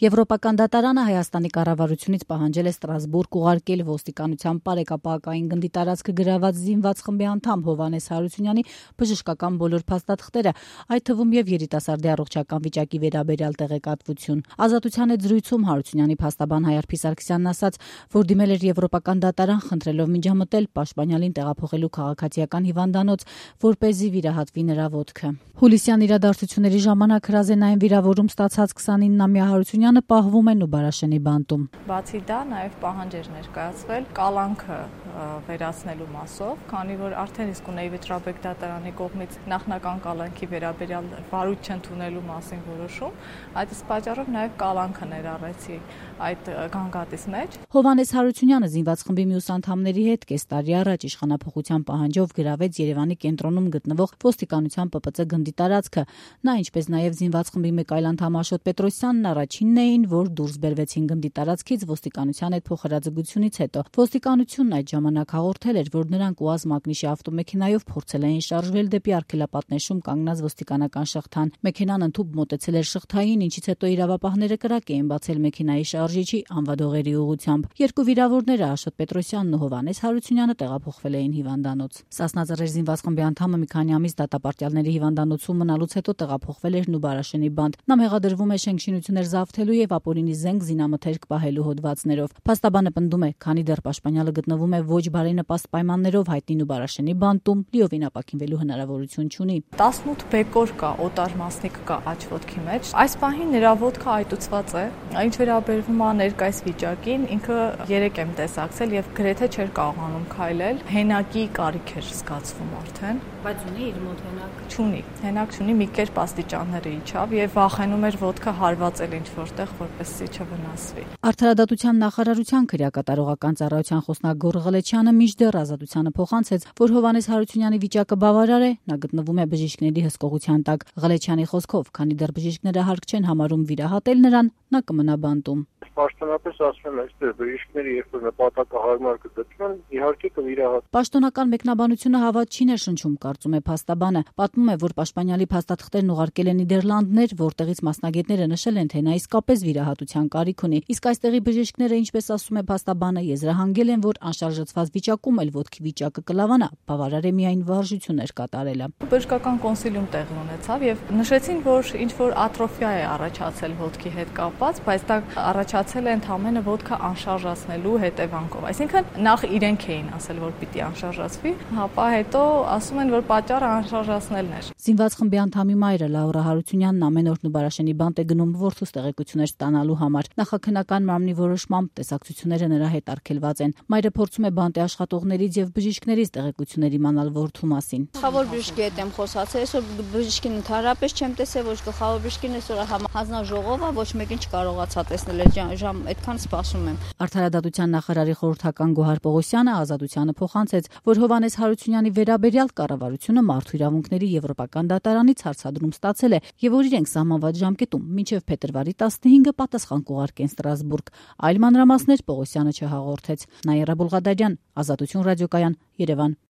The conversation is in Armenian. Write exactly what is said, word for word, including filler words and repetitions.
Եվրոպական դատարանը Հայաստանի կառավարությունից պահանջել է Ստրասբուրգ ուղարկել ոստիկանության պարեկապահական գնդի տարածքը գրաված զինված խմբի անդամ Հովհաննես Հարությունյանի բժշկական բոլոր փաստաթղթերը, այդ թվում եւ երիտասարդի առողջական վիճակի վերաբերյալ տեղեկատվություն։ Ազատության հետ զրույցում Հարությունյանի փաստաբան Հայարփի Սարգսյանն ասաց, որ դիմել էր Եվրոպական դատարան խնդրելով միջամտել Պաշտպանյալին տեղափոխելու քաղաքացիական հիվանդանոց, որպեսզի վիրահատվի նրա ոտքը։ Հուլիսյան իրադարձությունների ժամանակ հրազենային վիրավորում ստացած քսանիննամյա Հարությունյանը պահվում է Նուբարաշենի բանտում։ Բացի դա, նաև պահանջ էր ներկայացվել կալանքը վերացնելու մասով, քանի որ արդեն իսկ ունեի Վճռաբեկ դատարանի կողմից նախնական կալանքի վերաբերյալ վարույթ չընդունելու մասին որոշում, այդ իսկ պատճառով նաև կալանքը ներառեցի այդ գանգատիս մեջ։ Հովհաննես Հարությունյանը զինված խմբի մյուս անդամների հետ կես տարի առաջ իշխանափոխության պահանջով գրավեց Երևանի կենտրոնում գտնվող ոստիկանության Պ Պ Ծ գնդի տարածքը։ Նա, ինչպես նաև զինված խմբի մեկ այլ անդամ Աշոտ Պետրոսյանն առաջինն էին, որ դուրս բերվեցին գնդի տարածքից ոստիկանության հետ փոխհրաձգությունից հետո։ Ոստիկանությունն այդ ժամանակ հաղորդել էր, որ նրանք ՈՒԱԶ Մագնիշի ավտոմեքենայով փորձել էին շարժվել դեպի արգելապատնեշում կանգնած ոստիկանական շղթան։ Մեքենան ընդհուպ մոտեցել էր շղթային, ինչից հետո իրավապահները կրակ էին բացել մեքենայի շարժիչի անվադողերի ուղղությամբ։ Երկու վիրավորները Աշոտ Պետրոսյանն ու Հովհաննես Հարությունյանը տեղափոխվել էին հիվանդանոց։ Սասնաձեռեր զինված խմբի անդամը մի քանի ամիս դատապարտյալների հիվանդանոցում մնալուց հետո տեղափոխվել էր Նուբարաշենի բանտ։ Նա մեղադրվում է շենքշինություններ զավթելու եւ ապօրինի զենք զինամթերք պահելու հոդվածներով։ Փաստաբանը պնդում է, քանի դեռ Պաշտպանյալը գտնվում է ոչ բարենպաստ պայմաններով հայտնի Նուբարաշենի բանտում, լիովին ապաքինվելու հնարավորություն չունի։ տասնութ բեկոր կա, օտար մասնիկ կա աջ ոտքի մեջ։ Այս պահին նրա ոտքը այտուցված է։ Ինչ վերաբերվում է ներկայիս վիճակին, ինքը երեք եմ տեսակցել եւ գրեթե չէր կարողանում քայլել։ Հենակի կարիք էր զգացվում արդեն։ Բայց ունի իր մոտ հենակ։ Չունի, հենակ չունի, մի կերպ աստիճանները իջավ եւ վախենում էր ոտքը հարվածել ինչ որտեղ, որպեսզի չվնասվի։ Արդարադատության նախարարության քրեակատարողական ծառայության խոսնակ Ղլեչյանը մինչդեռ Ազատությանը փոխանցեց, որ Հովհաննես Հարությունյանի վիճակը բավարար է, նա գտնվում է բժիշկների հսկողության տակ։ Ղլեչյանի խոսքով, քանի դեռ բժիշկները հարկ չեն համարում վիրահատել նրան, նա կմնա բանտում։ Պաշտոնապես ասում եմ, այստեղ բժիշկները երբ որ նպատակահարմար կգտնեն, իհարկե կվիրահատեն։ Պաշտոնական մեկնաբանությունը հավատ չի ներշնչում, կարծում է փաստաբանը։ Պատմում է, որ Պաշտպանյալի փաստաթղթերն ուղարկել են Նիդերլանդներ, որտեղից մասնագետները նշել են, թե նա իսկապես վիրահատության կարիք ունի։ Իսկ այստեղի բժիշկները, ինչպես ասում է փաստաբանը, եզրահանգել են, որ անշարժացված վիճակում էլ ոտքի վիճակը կլավանա, բավարար է միայն վարժություններ կատարելը։ Բժշկական կոնսիլիում տեղի ունեցավ եւ նշեցին, որ ինչ որ ատրոֆիա է առաջացել ոտքի հետ կապված, բայց դա առաջացել է ընդհանրապես ոտքը անշարժացնելու հետևանքով։ Այսինքն նախ իրենք էին ասել, որ պիտի անշարժացվի, ապա հետո ասում են, որ պատճառը անշարժացնելն էր։ Զինված խմբի անդամի մայրը Լաուրա Հարությունյանն ամեն օր Նուբարաշենի բանտ է գնում որդուց տեղեկություններ ստանալու համար։ Նախաքննական մարմնի որոշմամբ տեսակցությունները նրա հետ արգելված են։ Մայրը փորձում է բանտի աշխատողներից եւ բժիշկներից տեղեկություններ իմանալ որդու մասին։ Գլխավոր բժշկի հետ եմ խոսացել, այսօր բժշկին ընդհանրապես չեմ տեսել, ոչ գլխավոր բժշկին, այսօր հանձնաժողովը ոչ մեկին չկարողացա տեսնել, ժամ այդքան սպասում եմ։ Արդարադատության նախարարի խորհրդական Գոհար Պողոսյանը Ազատությանը փոխանցեց, որ Հովհաննես Հարությունյանի վերաբերյալ կառավարությունը մարդու իրավունքների եվրոպական դատարանից հարցադրում ստացել է եւ որ իրենք սահմանված ժամկետում մինչեւ փետրվարի տասնհինգը պատասխան կուղարկեն Ստրասբուրգ։ Այլ մանրամասներ Պողոսյանը չհաղորդեց։ Նաիրա Բուլղադարյան, Ազատություն ռադիոկայան, Երևան։